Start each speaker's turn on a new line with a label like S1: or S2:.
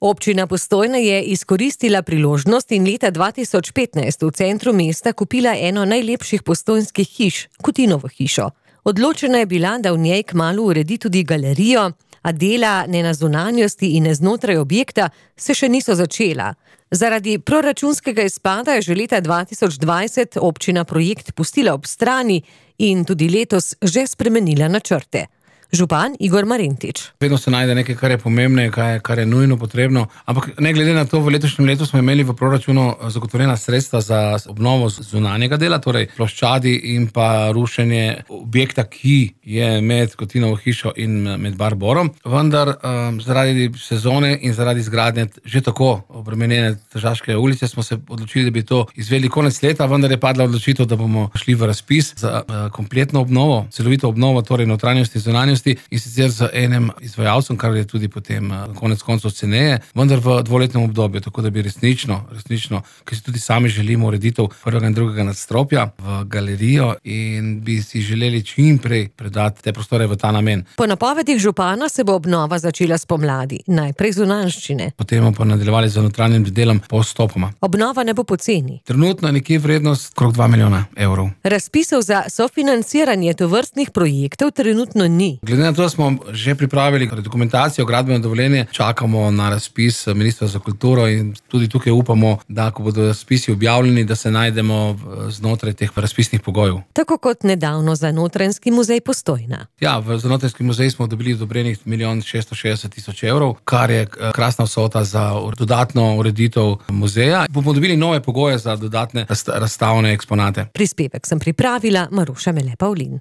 S1: Občina Postojna je izkoristila priložnost in leta 2015 v centru mesta kupila eno najlepših postojnskih hiš, Kutinovo hišo. Odločena je bila, da v njej kmalu uredi tudi galerijo, a dela ne na zunanjosti in ne znotraj objekta se še niso začela. Zaradi proračunskega izpada je že leta 2020 občina projekt pustila ob strani in tudi letos že spremenila načrte. Župan Igor Marentič.
S2: Vedno se najde nekaj, kar je pomembno, kar je nujno potrebno, ampak ne glede na to, v letošnjem letu smo imeli v proračunu zagotovljena sredstva za obnovo zunanjega dela, torej ploščadi in pa rušenje objekta, ki je med Kutinovo hišo in med Barborom. Vendar zaradi sezone in zaradi izgradnje že tako obremenjene Tržaške ulice smo se odločili, da bi to izvedli konec leta, vendar je padla odločitev, da bomo šli v razpis za kompletno obnovo, celovito obnovo, torej notranjosti in zunanjosti, in sicer z enim izvajalcem, kar je tudi potem konec koncev ceneje, vendar v dvoletnem obdobju, tako da bi resnično, ker si tudi sami želimo ureditev prvega in drugega nadstropja v galerijo in bi si želeli čim prej predati te prostore v ta namen.
S1: Po napovedih župana se bo obnova začela spomladi, najprej zunanjščine.
S2: Potem bomo pa nadaljevali z notranjim delom postopoma.
S1: Obnova ne bo poceni.
S2: Trenutno je nekje vrednost okrog 2 milijona evrov.
S1: Razpisov za sofinanciranje tovrstnih projektov trenutno ni.
S2: Glede na to, da smo že pripravili dokumentacijo, gradbeno dovoljenje, čakamo na razpis Ministrstva za kulturo in tudi tukaj upamo, da ko bodo razpisi objavljeni, da se najdemo znotraj teh razpisnih pogojev.
S1: Tako kot nedavno za Notranjski muzej Postojna.
S2: Ja, za Notranjski muzej smo dobili odobrenih 1 660 000 evrov, kar je krasna vsota za dodatno ureditev muzeja. Bomo dobili nove pogoje za dodatne razstavne eksponate.
S1: Prispevek sem pripravila Maruša Mele Pavlin.